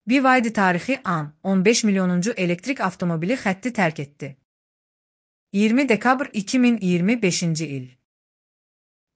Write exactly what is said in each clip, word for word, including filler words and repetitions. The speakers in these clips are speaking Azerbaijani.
B Y D tarixi an on beş milyonuncu elektrik avtomobili xətti tərk etdi. iyirmi dekabr iki min iyirmi beşinci il.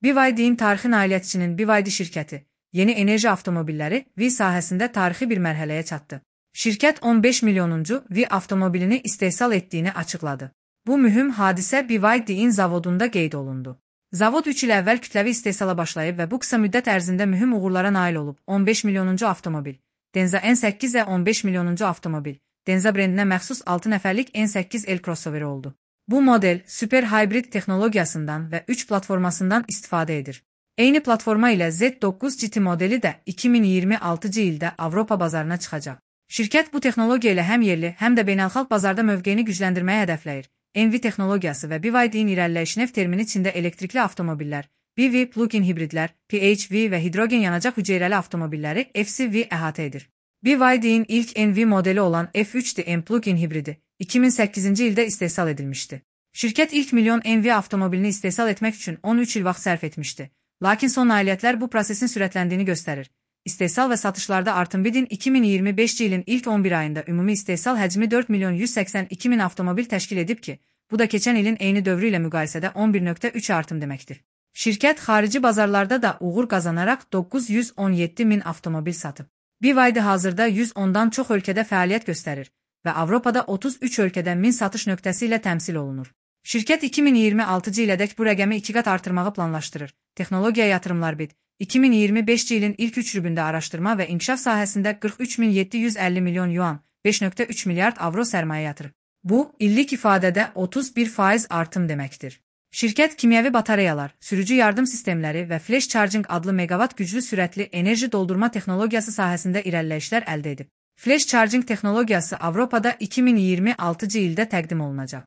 B Y D'in tarixi nailiyyətçinin B Y D şirkəti yeni enerji avtomobilləri V sahəsində tarixi bir mərhələyə çatdı. Şirkət on beş milyonuncu V avtomobilini istehsal etdiyini açıqladı. Bu mühüm hadisə B Y D'in zavodunda qeyd olundu. Zavod üç il əvvəl kütləvi istehsala başlayıb və bu qısa müddət ərzində mühüm uğurlara nail olub. on beş milyonuncu avtomobil. Denza N səkkiz E on beş milyonuncu avtomobil. Denza brendinə məxsus altı nəfərlik N səkkiz L crossoveri oldu. Bu model super hybrid texnologiyasından və üç platformasından istifadə edir. Eyni platforma ilə Z doqquz G T modeli də iki min iyirmi altıncı ildə Avropa bazarına çıxacaq. Şirkət bu texnologiya ilə həm yerli, həm də beynəlxalq bazarda mövqeyini gücləndirməyə hədəfləyir. N V texnologiyası və B Y D'in irəliləyişi neft termini içində elektrikli avtomobillər, B V plug-in hibridlər, P H V və hidrogen yanacaq hüceyrəli avtomobilləri F C V əhatə edir. B Y D'in ilk N V modeli olan F üç D M plug-in hibridi iki min səkkizinci ildə istehsal edilmişdi. Şirkət ilk milyon N V avtomobilini istehsal etmək üçün on üç il vaxt sərf etmişdi. Lakin son nailiyyətlər bu prosesin sürətləndiyini göstərir. İstehsal və satışlarda artım B Y D'in iki min iyirmi beşinci ilin ilk on bir ayında ümumi istehsal həcmi dörd milyon yüz səksən iki min avtomobil təşkil edib ki, bu da keçən ilin eyni dövrü ilə müqayisədə on bir nöqtə üç artım deməkdir. Şirkət xarici bazarlarda da uğur qazanaraq doqquz yüz on yeddi min avtomobil satıb. B Y D hazırda yüz ondan çox ölkədə fəaliyyət göstərir və Avropada otuz üç ölkədə min satış nöqtəsi ilə təmsil olunur. Şirkət iki min iyirmi altıncı ilədək bu rəqəmi iki qat artırmağı planlaşdırır. Texnologiya yatırımlar B Y D, iki min iyirmi beşinci ilin ilk üç rübündə araşdırma və inkişaf sahəsində qırx üç min yeddi yüz əlli milyon yuan, beş nöqtə üç milyard avro sərmayə yatırıb. Bu, illik ifadədə otuz bir faiz artım deməkdir. Şirkət kimyəvi batareyalar, sürücü yardım sistemləri və flash charging adlı megawatt güclü sürətli enerji doldurma texnologiyası sahəsində irəliləyişlər əldə edib. Flash charging texnologiyası Avropada iki min iyirmi altıncı ildə təqdim olunacaq.